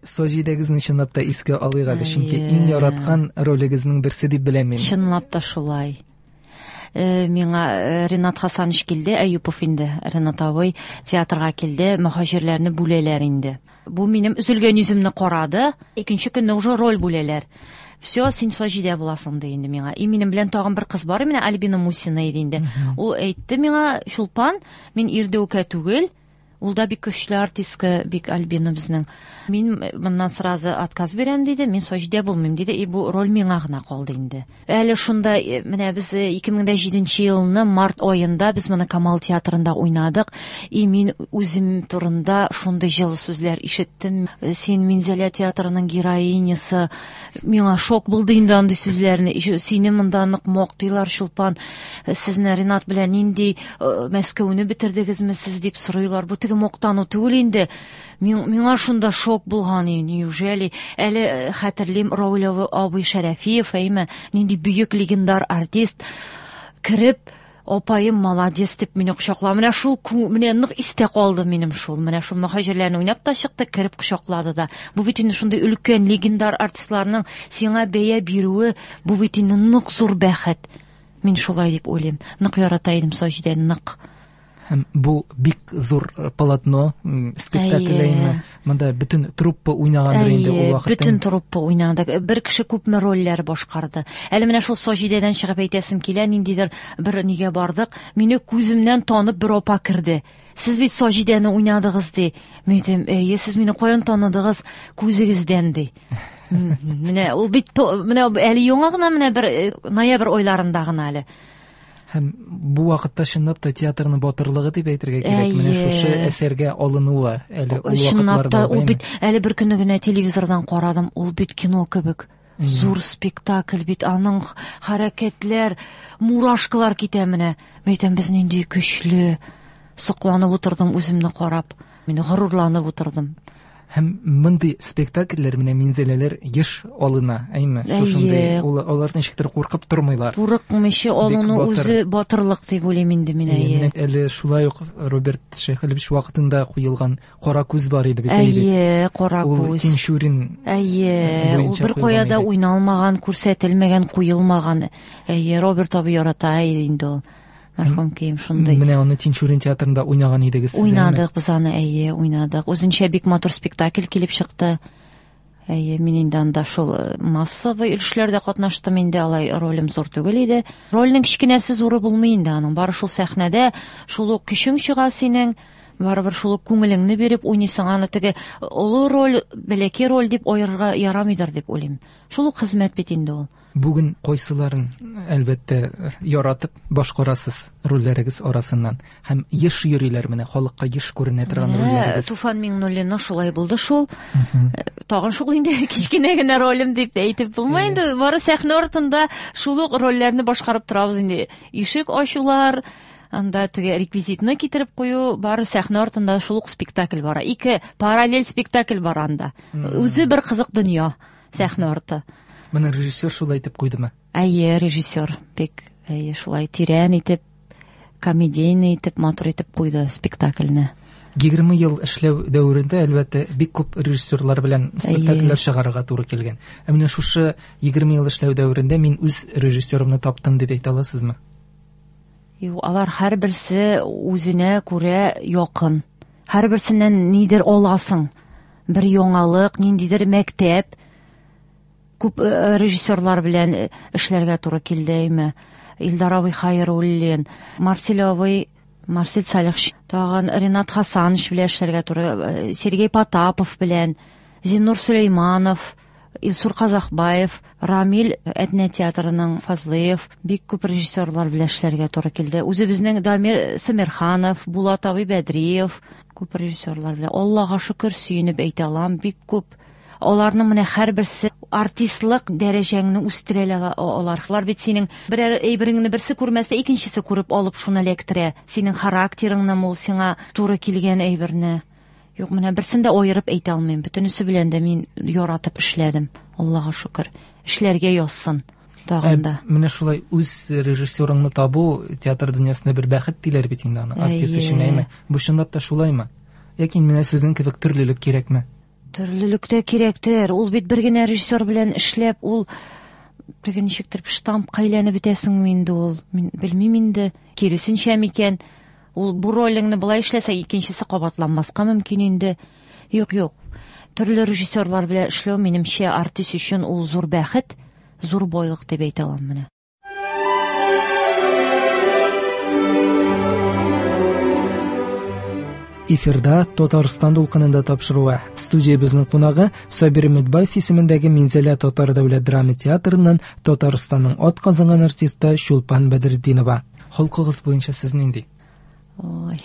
Саҗидәгезне чынлап та искә алыйк әле, чөнки иң яраткан ролегезнең берсе дип беләм мин. Чынлап та шулай. Миңа Ренат Хасанович килде, Әюпов инде, Ренат абый театрга килде, мөһаҗирләрне бүләләр инде. Бу минем өзелгән йөземне карады, икенче көнне уже роль бүләләр. Все, син Саҗидә буласың ди инде миңа. И минем белән тагын бер кыз бар, менә Альбина Мусина иде инде. Ул әйтте миңа, Чулпан, мин ирдәүкә түгел, ул да бик көчле артистка, бик Альбина безнең. Мин моннан сразу отказ бирәм диде, мин Саҗидә булмыйм диде, и бу роль миңа гына калды инде. Әле шунда, менә без 2007 елны март аенда без моны Камал театрында уйнадык, и мин үзем турында шундый җылы сүзләр ишеттем. Син Минзәлә театрының героинясы. Миңа шок булды инде андый сүзләрне. Сине монда нык мактыйлар, Чулпан. Сезне Ренат белән нинди Мәскәүне бетердегезме сез дип сорыйлар. Бу теге мактану түгел инде. Миңа шунда шок булган, неужели? Әле хәтерлим, Рауль абый Шәрәфиев, әйме, нинди бөек легендар артист, кереп, апаем молодец дип мине кочаклады. Менә шул менә нык истә калды минем шул. Менә шул мөһаҗирләрне уйнап та чыкты, кереп кочаклады да. Бу бит инде шундый өлкән легендар артистларның сиңа бәя бирүе, бу бит инде нык зур бәхет. Мин шулай дип уйлыйм. Нык ярата идем Саҗидәне, нык. Һәм бу бик зур полотно, спектакль әйме. Монда бөтен труппа уйнагандыр инде ул вакытта. Бөтен труппа уйнады. Бер кеше күпме рольләр башкарды. Әле менә шул Саҗидәдән чыгып әйтәсем килә, ниндидер бер нигә бардык. Мине күземнән танып бер апа керде. Сез бит Саҗидәне уйнадыгыз ди. Мин әйтәм, әйе, сез мине каян таныдыгыз? Күзегездән ди. Менә ул бит менә әле яңа гына менә бер ноябрь айларында гына әле. Һәм бу вакытта чынлап та театрның батырлыгы дип әйтергә кирәк. Менә шушы әсәргә алынуы әле ул вакытларда. Чынлап та ул бит әле бер көнне генә телевизордан карадым, ул бит кино кебек. Зур спектакль бит, аның хәрәкәтләр, мурашкалар китә менә. Мин әйтәм, без нинди көчле. Сокланып утырдым үземне карап. Мин горурланып утырдым. Һәм мондый спектакльләр менә Минзәләләр еш алына, әйме? Шушындый алар ничектер куркып тормыйлар. Курыкмыйча алыну үзе батырлык дип уйлыйм инде мин, әйе. Әле шулай ук Роберт Шәйхелевич вакытында куелган Кара күз бар иде бит. Әйе, Кара күз. Ул Тинчурин. Әйе, ул бер кая да уйналмаган, күрсәтелмәгән, куелмаган. Әйе, Роберт абый ярата инде ул. Мәрхүм кием шундый. Менә аны Тинчурин театрында уйнаган идегез сез. Уйнадык без аны, әйе, уйнадык. Үзенчә бик матур спектакль килеп чыкты. Әйе, мин инде анда шул массовый өлешләрдә катнаштым инде, алай ролем зур түгел иде. Рольнең кечкенәсе зуры булмый инде аның. Бары шул сәхнәдә шул ук көчең чыга синең. Барыбер шул ук күңелеңне биреп уйныйсың, аны теге олы роль, бәләкәй роль дип аерырга ярамыйдыр дип уйлыйм. Шул ук хезмәт бит инде ул. Бүген кайсыларын, әлбәттә, яратып башкарасыз рольләрегез арасыннан? Һәм еш йөриләр менә, халыкка еш күренә торган рольләрегез. Туфан Миңнуллинның шулай булды шул. Тагын шул инде кечкенә генә ролем дип әйтеп булмый инде. Бары сәхнә артында шул ук рольләрне башкарып торабыз инде. Ишек ачулар, анда теге реквизитны китереп кую, бары сәхнә артында шул ук спектакль бара. Ике параллель спектакль бара анда. Үзе бер кызык дөнья сәхнә арты. Моны режиссер шулай итеп куйдымы? Әйе, режиссер бик, әйе, шулай тирән итеп, комедийный итеп, матур итеп куйды спектакльне. 20 ел эшләү дәверендә, әлбәттә, бик күп режиссерлар белән спектакльләр чыгарырга туры килгән. Ә менә шушы 20 ел эшләү дәверендә мин үз режиссерымны таптым дип әйтә аласызмы? Юк, алар һәрберсе үзенә күрә якын. Һәрберсеннән нидер аласың. Бер яңалык, ниндидер мәктәп. Күп режиссерлар белән эшләргә туры килде, әйме. Илдар абый Хайруллин, Марсель абый, Марсель Салихович, тагын Ренат Хасанович белән эшләргә туры, Сергей Потапов белән, Зиннур Сөләйманов, Илсур Казахбаев, Рамил Әтнә театрының Фазлыев, бик күп режиссерлар белән эшләргә туры килде. Үзебезнең Дамир Сәмирханов, Булат абый Бәдриев, күп режиссерлар белән. Аллага шөкер, сөенеп әйтә алам, бик күп. Аларның менә һәрберсе артистлык дәрәҗәңне үстерә алар. Алар бит синең берәр әйбереңне берсе күрмәсә, икенчесе күреп алып шуны эләктерә. Синең характерыңны, ул сиңа туры килгән әйберне. Юк, менә берсен дә аерып әйтә алмыйм. Бөтенесе белән дә мин яратып эшләдем. Аллага шөкер. Эшләргә язсын тагын да. Менә шулай үз режиссерыңны табу театр дөньясында бер бәхет диләр бит инде аны. Артист өчен, әйме? Бу чынлап та шулаймы? Яки менә сезнең кебек төрлелек кирәкме? Төрлелек тә кирәктер. Ул бит бер генә режиссер белән эшләп, ул теге ничектер штампка әйләнеп бетәсеңме инде ул? Мин белмим инде. Киресенчә микән? Ул бу ролеңне болай эшләсә, икенчесе кабатланмаска мөмкин инде. Юк, юк. Төрле режиссерлар белән эшләү минемчә артист өчен ул зур бәхет, зур байлык дип әйтә алам менә. Эфирда Татарстан дулкынында тапшыруы. Студиябезнең кунагы Сабир Өметбаев исемендәге Минзәлә татар дәүләт драма театрыннан Татарстанның атказанган артисты Чулпан Бәдретдинова. Холкыгыз буенча сез нинди? Ой.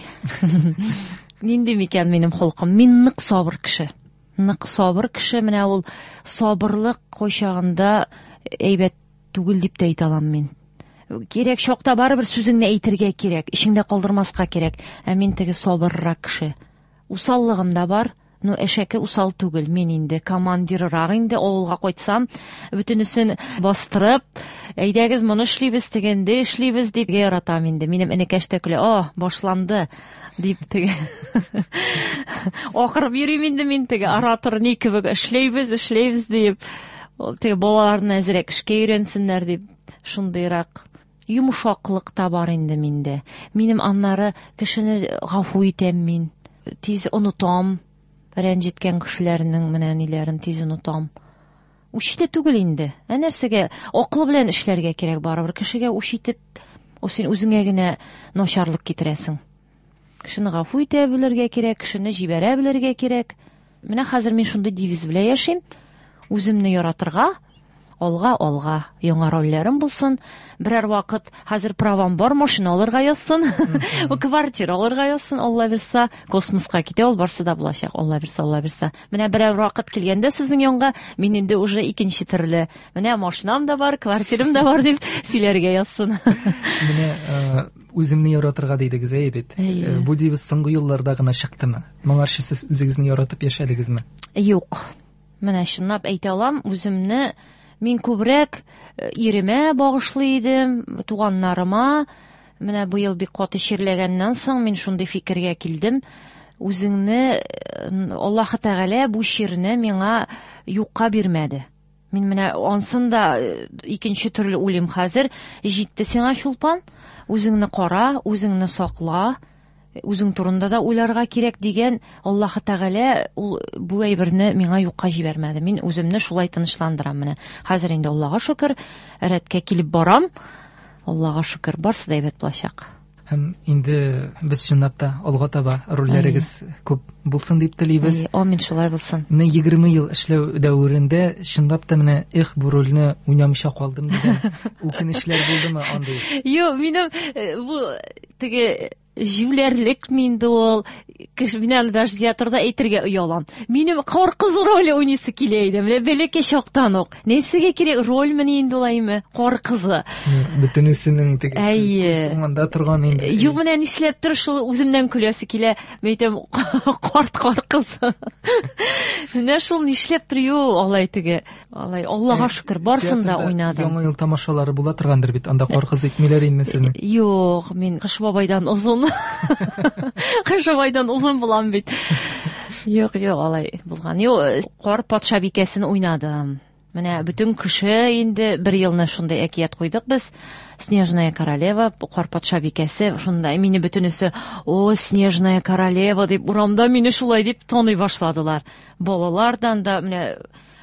Нинди микән минем холкым? Мин нык сабыр кеше. Нык сабыр кеше. Менә ул сабырлык кайчагында әйбәт түгел дип тә әйтә алам мин. Кирәк чакта барыбер сүзеңне әйтергә кирәк, эчеңдә калдырмаска кирәк. Ә мин теге сабыррак кеше. Усаллыгым да бар, но әшәке усал түгел. Мин инде командиррак инде, авылга кайтсам, бөтенесен бастырып, әйдәгез моны эшлибез, тегенде эшлибез дип яратам инде. Минем энекәш тә көлә, "О, башланды" дип теге. Акырып йөрим инде мин теге оратор ни кебек эшләйбез, эшләйбез дип. Теге балаларны әзрәк эшкә өйрәнсеннәр дип, шундыйрак йомшаклык та бар инде миндә. Минем аннары кешене гафу итәм мин. Тиз онытам. Рәнҗеткән кешеләрнең менә ниләрен тиз онытам. Үч итә түгел инде. Ә нәрсәгә акыл белән эшләргә кирәк барыбер. Кешегә үч итеп, ул син үзеңә генә начарлык китерәсең. Кешене гафу итә белергә кирәк, кешене җибәрә белергә кирәк. Менә хәзер мин шундый девиз белән яшим. Үземне яратырга, алга, алга, яңа рольләрем булсын. Берәр вакыт хәзер правам бар, машина алырга язсын, квартира алырга язсын, Алла бирса, космоска китә, ул барсы да булачак, Алла бирса, Алла бирса. Менә берәр вакыт килгәндә сезнең янга, мин инде уже икенче төрле. Менә машинам да бар, квартирам да бар дип сөйләргә язсын. Менә үземне яратырга дидегез, әйе бит. Бу девиз соңгы елларда гына чыктымы? Моңарчы сез үзегезне яратып яшәдегезме? Юк. Менә чынлап әйтә алам, үземне мин күбрәк иремә багышлый идем, туганнарыма. Менә быел бик каты чирләгәннән соң мин шундый фикергә килдем. Үзеңне Аллаһы Тәгалә бу чирне миңа юкка бирмәде. Мин менә ансын да икенче төрле уйлыйм хәзер. Җитте сиңа, Чулпан, үзеңне кара, үзеңне сакла, үзең турында да уйларга кирәк дигән Аллаһы Тәгалә ул бу әйберне миңа юкка җибәрмәде. Мин үземне шулай тынычландырам менә. Хәзер инде Аллаһка шөкер, рәткә килеп барам. Аллаһка шөкер, барсы да әйбәт булачак. Һәм инде без чынлап та алга таба рольләрегез күп булсын дип телибез. Амин, шулай булсын. Менә 20 ел эшләү дәверендә чынлап та менә эх, бу рольне уйнамыйча калдым дигән үкенечләр булдымы андый? Юк, минем э, бу теге җүләрлекме инде ул, кеше мин аны даже театрда әйтергә оялам. Минем кар кызы роле уйныйсы килә иде. Менә бәләкәй чактан ук. Нәрсәгә кирәк рольмени инде ул әйме? Кар кызы. Бөтенесенең теге Әйе. күз уңында торган инде. Юк, менә нишләптер шул үземнән көләсе килә. Мин әйтәм, карт кар кызы. Менә шул нишләптер юк, алай теге. Алай, Аллага шөкер, барысын да Театрда уйнадым. Яңа ел тамашалары була торгандыр бит, анда кар кызы итмиләр инде сезне. Юк, мин Кыш бабайдан озын. Кыш бабайдан озын булам бит. Юк, юк, алай булган. Юк, кар патшабикәсен уйнадым. Менә бөтен кеше инде бер елны шундый әкият куйдык без. Снежная королева, кар патшабикәсе, шунда мине бөтенесе, о, Снежная королева дип урамда мине шулай дип таный башладылар. Балалардан да менә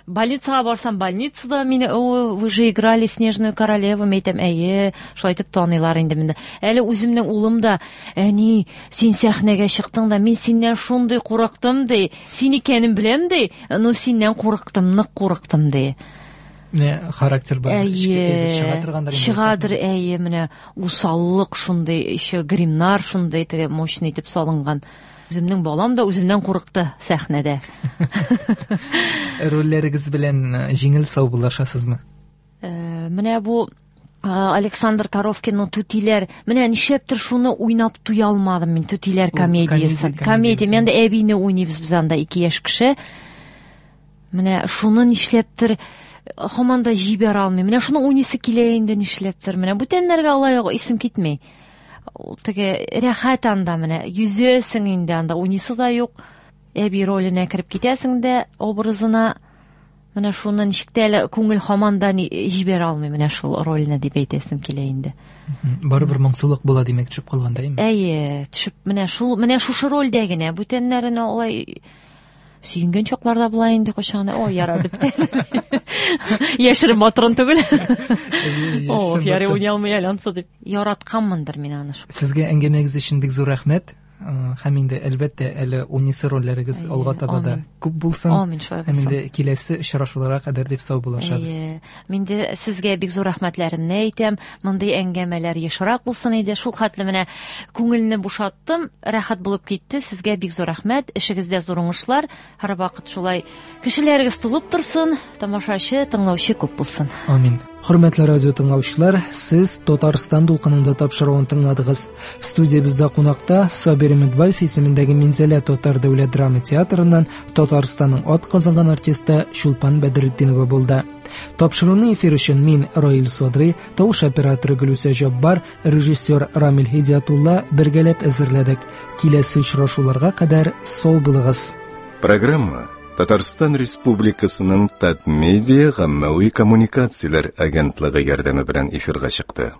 больницага барсам, больницада мине, о, вы же играли Снежную королеву, мин әйтәм, әйе, шулай итеп таныйлар инде мине. Әле үземнең улым да, әни, син сәхнәгә чыктың да, мин синнән шундый курыктым, ди. Син икәнен беләм, ди, но синнән курыктым, нык курыктым, ди. Менә характер бар, эчке әйбер чыга торгандыр инде Чыгадыр, сәхнәдә. әйе, менә усаллык шундый, еще гримнар шундый теге мощный итеп салынган. Үземнең балам да үземнән курыкты сәхнәдә. Рольләрегез белән җиңел саубуллашасызмы? Менә бу Александр Коровкинның Түтиләр, менә нишләптер шуны уйнап туя алмадым мин, Түтиләр Ул комедиясен. комедия, Комедия, комедиясе. мен дә әбине уйныйбыз без анда, ике яшь кеше. Менә шуны нишләптер һаман да җибәрә алмыйм. Менә шуны уйныйсы килә инде нишләптер. Менә бүтәннәргә алай ук исем китми. Ул теге рәхәт анда менә, йөзәсең инде анда, уйныйсы да юк. Әби роленә кереп китәсең дә образына. Менә шуны ничек тә әле күңел һаман да җибәрә алмый менә шул рольне дип әйтәсем килә инде. Барыбер моңсулык була димәк төшеп калганда, әйеме? Әйе, төшеп менә шул, менә шушы рольдә генә, бүтәннәренә алай сөенгән чакларда була инде кайчан. Ой, яра бетте. Яшерен батырын түгел. О, ярый уйный алмый әле ансы дип. Яратканмындыр мин аны. Сезгә әңгәмәгез өчен бик зур рәхмәт. Һәм инде әлбәттә әле унисы рольләрегез алга таба да күп булсын. Амин, шулай Һәм булсын. инде киләсе очрашуларга кадәр дип саубуллашабыз. Әйе. Мин дә сезгә бик зур рәхмәтләремне әйтәм. Мондый әңгәмәләр ешрак булсын иде. Шул хәтле менә күңелне бушаттым, рәхәт булып китте. Сезгә бик зур рәхмәт. Эшегездә зур уңышлар. Һәрвакыт шулай кешеләрегез тулып торсын, тамашачы, тыңлаучы күп булсын. Амин. Хөрмәтле радио тыңлаучылар, сез Татарстан дулкынында тапшыруын тыңладыгыз. Студиябездә кунакта Сабир Өметбаев исемендәге Минзәлә татар дәүләт драма театрыннан Татарстанның ат казанган артисты Чулпан Бәдретдинова булды. Тапшыруны эфир өчен мин Раил Садри, тавыш операторы Гөлүсә Җаббар, режиссер Рамил Һидиятулла бергәләп әзерләдек. Киләсе очрашуларга кадәр сау булыгыз. Программа Татарстан Республикасының Татмедиа гаммәви коммуникацияләр агентлыгы ярдәме белән эфирга чыкты.